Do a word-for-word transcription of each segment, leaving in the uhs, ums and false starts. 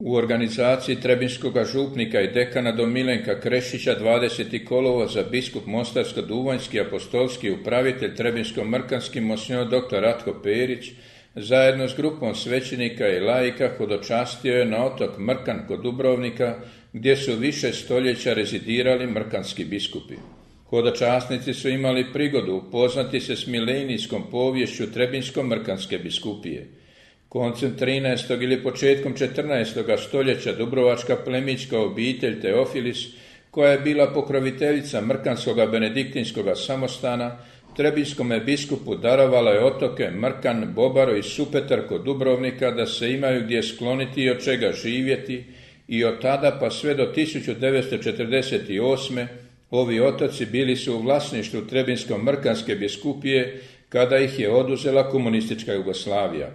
U organizaciji trebinskog župnika i dekana don Milenka Krešića dvadesetog kolovoza biskup Mostarsko-duvanjski apostolski upravitelj trebinsko-mrkanski monsignor dr. Ratko Perić zajedno s grupom svećenika i laika hodočastio je na otok Mrkan kod Dubrovnika, gdje su više stoljeća rezidirali mrkanski biskupi. Hodočasnici su imali prigodu upoznati se s milenijskom poviješću trebinsko-mrkanske biskupije. Koncem trinaestog ili početkom četrnaestog stoljeća dubrovačka plemićka obitelj Teofilis, koja je bila pokroviteljica mrkanskog benediktinskog samostana, trebinskome biskupu darovala je otoke Mrkan, Bobaro i Supetar kod Dubrovnika da se imaju gdje skloniti i od čega živjeti, i od tada pa sve do tisuću devetsto četrdeset osme. ovi otoci bili su u vlasništvu trebinsko-mrkanske biskupije kada ih je oduzela komunistička Jugoslavija.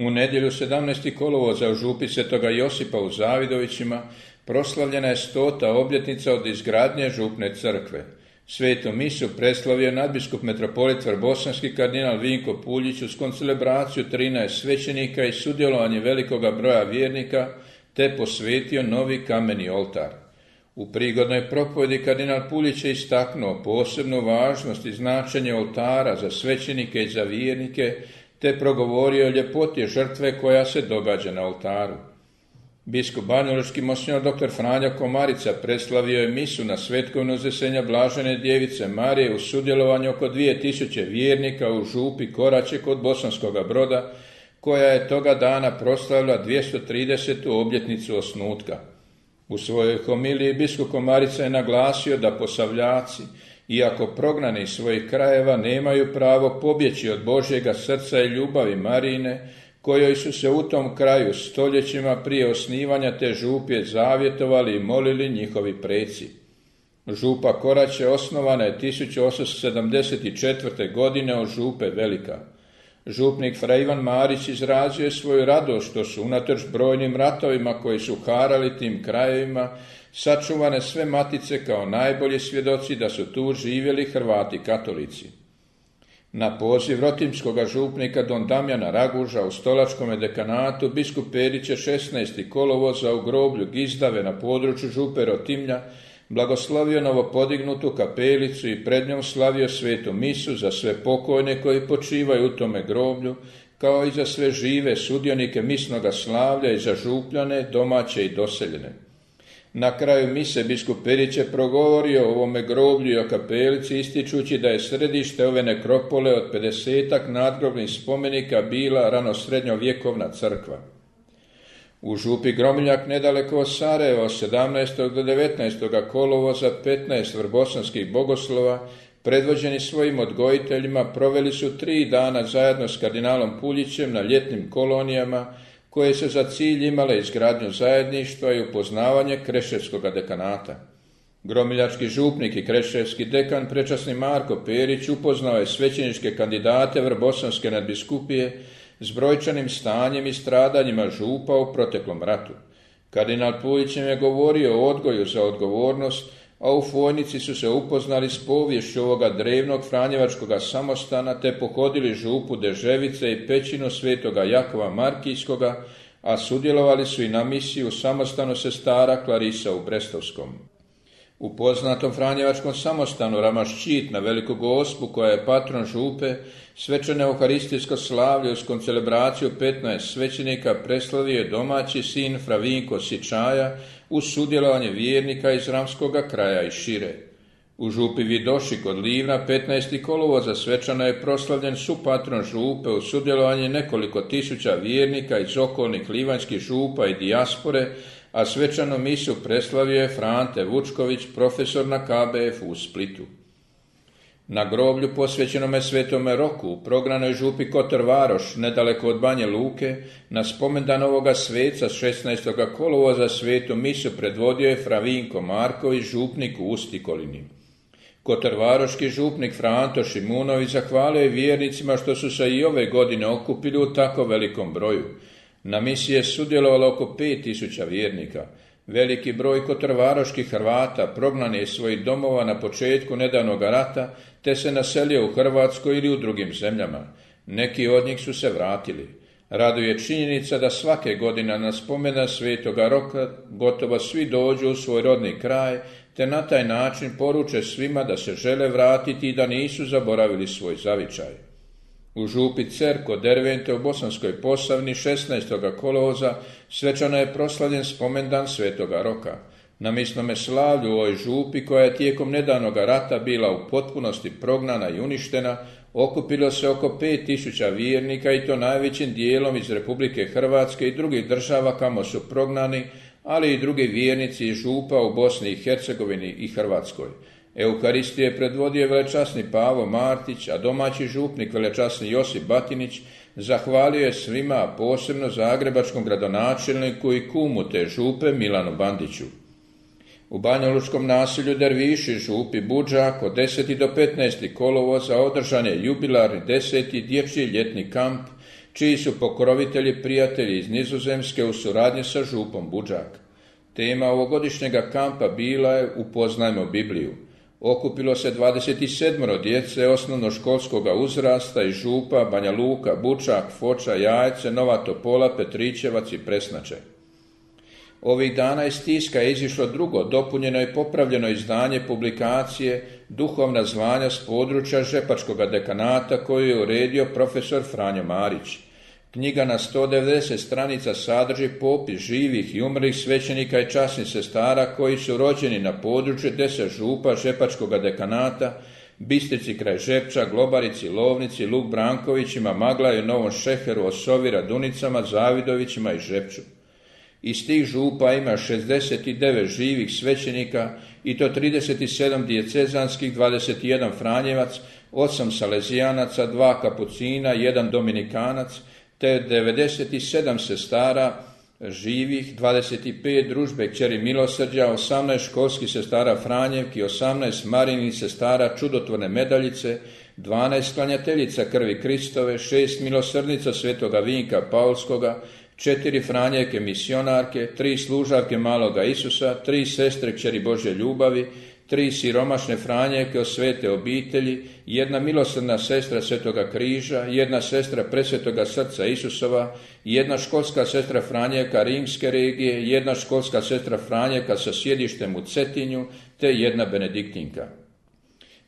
U nedjelju sedamnaestog kolovoza u župi Svetoga Josipa u Zavidovićima proslavljena je stota obljetnica od izgradnje župne crkve. Svetu misu preslavio nadbiskup metropolit vrbosanski kardinal Vinko Puljić uz koncelebraciju trinaest svećenika i sudjelovanje velikoga broja vjernika, te posvetio novi kameni oltar. U prigodnoj propovjedi kardinal Puljić je istaknuo posebnu važnost i značenje oltara za svećenike i za vjernike, te progovorio o ljepoti žrtve koja se događa na oltaru. Biskup banjalučki monsignor dr. Franjo Komarica preslavio je misu na svetkovinu uzvisenja Blažene djevice Marije u sudjelovanju oko dvije tisuće vjernika u župi Koraće kod Bosanskoga Broda, koja je toga dana proslavila dvjesto tridesetu obljetnicu osnutka. U svojoj homiliji biskup Komarica je naglasio da Posavljaci, iako prognani iz svojih krajeva, nemaju pravo pobjeći od Božjega srca i ljubavi Marijine, kojoj su se u tom kraju stoljećima prije osnivanja te župje zavjetovali i molili njihovi preci. Župa Koraće osnovana je tisuću osamsto sedamdeset četvrte. godine od župe Velika. Župnik fra Ivan Marić izrazio je svoju radost što su unatoč brojnim ratovima koji su harali tim krajevima sačuvane sve matice kao najbolji svjedoci da su tu živjeli Hrvati katolici. Na poziv rotimskog župnika don Damjana Raguža u stolačkome dekanatu biskup Perić je šesnaestog kolovoza u groblju Gizdave na području župe Rotimlja blagoslovio novopodignutu kapelicu i pred njom slavio svetu misu za sve pokojne koji počivaju u tome groblju, kao i za sve žive sudionike misnoga slavlja i za župljane, domaće i doseljene. Na kraju mise biskup Perić je progovorio o ovome groblju i o kapelici, ističući da je središte ove nekropole od pedesetak nadgrobnih spomenika bila ranosrednjovjekovna crkva. U župi Gromiljak nedaleko od Sarajeva od sedamnaestog do devetnaestog kolovoza petnaest vrbosanskih bogoslova, predvođeni svojim odgojiteljima, proveli su tri dana zajedno s kardinalom Puljićem na ljetnim kolonijama, koje se za cilj imale izgradnju zajedništva i upoznavanje Kreševskog dekanata. Gromiljački župnik i kreševski dekan prečasni Marko Perić upoznao je svećeničke kandidate vrbosanske nadbiskupije s brojčanim stanjem i stradanjima župa u proteklom ratu. Kardinal Puljić je govorio o odgoju za odgovornost, a u Fojnici su se upoznali s poviješću ovoga drevnog franjevačkog samostana te pohodili župu Deževice i pećinu svetoga Jakova Markijskoga, a sudjelovali su i na misiji u samostanu sestara Klarisa u Brestovskom. U poznatom franjevačkom samostanu Ramaščit na Veliku Gospu, koja je patron župe, svečano euharistijsko slavlje uz koncelebraciju petnaest svećenika preslavio je domaći sin fra Vinko Sičaja uz sudjelovanje vjernika iz Ramskoga kraja i šire. U župi Vidoši kod Livna petnaestog kolovoza svečano je proslavljen supatron župe uz sudjelovanje nekoliko tisuća vjernika iz okolnih livanjskih župa i dijaspore, a svečanu misu preslavio je Frante Vučković, profesor na K B F u Splitu. Na groblju posvećenome Svetome Roku u progranoj župi Kotor Varoš, nedaleko od Banje Luke, na spomendan ovoga sveca šesnaestog kolovoza svetu misu predvodio je fra Vinko Marković, župnik u Ustikolini. Kotorvaroški župnik fra Anto Šimunović zahvalio je vjernicima što su se i ove godine okupili u tako velikom broju. Na misiji je sudjelovalo oko pet tisuća vjernika. Veliki broj kotorvaroških Hrvata prognan je iz svojih domova na početku nedavnog rata, te se naselio u Hrvatskoj ili u drugim zemljama. Neki od njih su se vratili. Raduje činjenica da svake godine na spomena Svetoga Roka gotovo svi dođu u svoj rodni kraj, te na taj način poruče svima da se žele vratiti i da nisu zaboravili svoj zavičaj. U župi Cer kod Dervente u Bosanskoj Posavini šesnaestog kolovoza svečano je proslavljen spomendan Svetoga Roka. Na misnome slavlju u ovoj župi, koja je tijekom nedavnog rata bila u potpunosti prognana i uništena, okupilo se oko pet tisuća vjernika i to najvećim dijelom iz Republike Hrvatske i drugih država kamo su prognani, ali i drugi vjernici iz župa u Bosni i Hercegovini i Hrvatskoj. Euharistiju je predvodio velečasni Pavo Martić, a domaći župnik velečasni Josip Batinić zahvalio je svima, a posebno zagrebačkom gradonačelniku i kumu te župe Milanu Bandiću. U banjalučkom naselju Derviši župi Budžak od deseti do petnaestog kolovoza održan je jubilarni deseti dječji ljetni kamp, čiji su pokrovitelji prijatelji iz Nizozemske u suradnji sa župom Budžak. Tema ovogodišnjega kampa bila je Upoznajmo Bibliju. Okupilo se dvadeset sedam djece osnovnoškolskog uzrasta iz župa Banja Luka, Bučak, Foča, Jajce, Nova Topola, Petričevac i Presnače. Ovih dana iz tiska je izišlo drugo, dopunjeno i popravljeno izdanje publikacije Duhovna zvanja s područja Žepačkog dekanata koju je uredio profesor Franjo Marić. Knjiga na sto devedeset stranica sadrži popis živih i umrlih svećenika i časnih sestara koji su rođeni na području deset župa Žepačkog dekanata, Bistrici kraj Žepča, Globarici, Lovnici, Luk Brankovićima, Maglaju, Novom Šeheru, Osovi, Radunicama, Zavidovićima i Žepču. Iz tih župa ima šezdeset devet živih svećenika i to trideset sedam dijecezanskih, dvadeset jedan franjevac, osam salezijanaca, dva kapucina, jedan dominikanac, te devedeset sedam sestara živih, dvadeset pet družbe kćeri milosrđa, osamnaest školskih sestara Franjevki, osamnaest marinih sestara čudotvorne medaljice, dvanaest klanjateljica krvi Kristove, šest milosrdnica svetoga Vinka Paulskoga, četiri Franjevke misionarke, tri služavke maloga Isusa, tri sestre kćeri Božje ljubavi, tri siromašne Franjevke od svete obitelji, jedna milosrdna sestra Svetoga križa, jedna sestra presvetoga srca Isusova, jedna školska sestra Franjevka rimske regije, jedna školska sestra Franjevka sa sjedištem u Cetinju, te jedna benediktinka.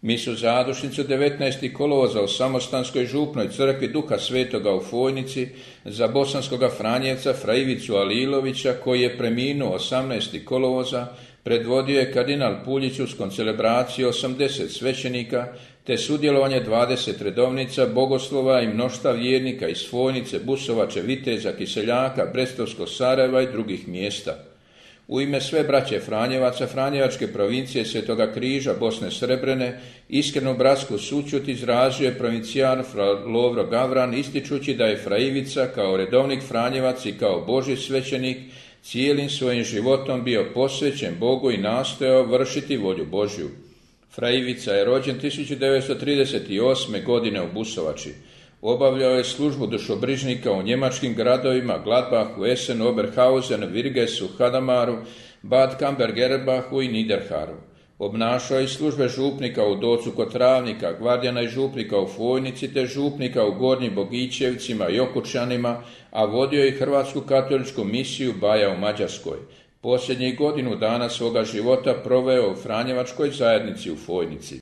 Misu zadušnicu devetnaestog kolovoza u Samostanskoj župnoj crkvi Duha Svetoga u Fojnici za bosanskoga Franjevca Fra Ivicu Alilovića, koji je preminuo osamnaestog kolovoza, predvodio je kardinal Puljić uz koncelebraciju osamdeset svećenika, te sudjelovanje dvadeset redovnica, bogoslova i mnoštva vjernika iz Fojnice, Busovače, Viteza, Kiseljaka, Brestovskog Sarajeva i drugih mjesta. U ime sve braće Franjevaca, Franjevačke provincije Svetoga križa Bosne Srebrene, iskrenu bratsku sućut izrazio je provincijan Fra Lovro Gavran, ističući da je Fra Ivica kao redovnik Franjevac i kao Božji svećenik cijelim svojim životom bio posvećen Bogu i nastojao vršiti volju Božju. Fra Ivica je rođen tisuću devetsto trideset osme. godine u Busovači. Obavljao je službu dušobrižnika u njemačkim gradovima Gladbachu, Essenu, Oberhausen, Virgesu, Hadamaru, Bad Kambergerbachu i Niederharu. Obnašao je službe župnika u Docu kod Travnika, gvardijana i župnika u Fojnici, te župnika u Gornjim Bogićevcima i Okučanima, a vodio je Hrvatsku katoličku misiju Baja u Mađarskoj. Posljednjih godinu dana svoga života proveo u Franjevačkoj zajednici u Fojnici.